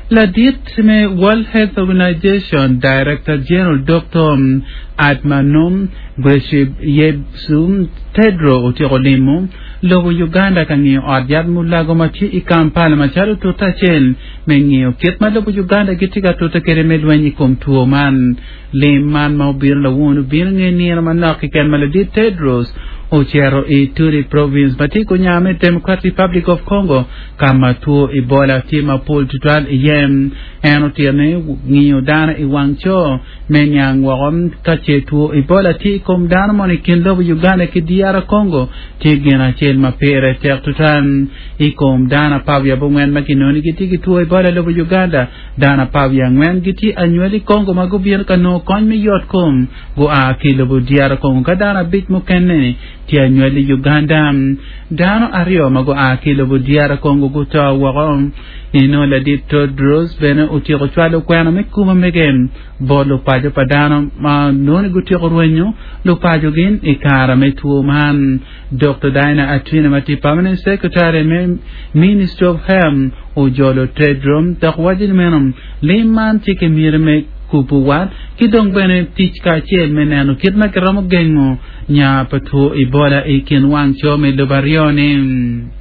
Ladit me World Health Organization Director General Doktor Adhanom Ghebreyesus Tedros otyeko limo lobo Uganda ka ngiyo ot yat mulago ma tye i Kampala macalo tute acel me ngiyo kit ma lobo Uganda gitye ka tute kwede me lweny i kom two man. Lim man ma obino lawun obino nge nino manok keken ma ladit Tedros ocito i Ituri Province ma tye i kunya me Democratic Republic of Congo ka ma two Ebola tye mapol tutwal iye. En otito ni ngiyo dano i wang co me niang woko ka ce two Ebola tye i kom dano moni i kin lobo Uganda ki DR Congo tye gin acel ma pire tek tutwal. I kom dano 14 ma kinongo ni gitye ki two Ebola i lobo Uganda, Dano 14 gitye anywali i Congo ma gubino ka nongo kony me yot kom gua ki i lobo DR Congo ka dano abic mukene tye anywali i Uganda. Dano aryo ma gua ki i lobo DR Congo guto woko. Inongo ladit Tedros bene otyeko cwalo kwena me kumo mege bot lupaco pa dano ma nongo ni gutyeko rwenyo lupacogi i kare me two man. Dokta Diana Atwine ma tye Permanent Secretary me Ministry of Health ojolo Tedros dok waco ni meno lim man tye ki miti me kubo wat ki dong bene tic kacel me neno kit ma kiromo gengo nya pa two Ebola i kin wang co me lobo aryo-ni.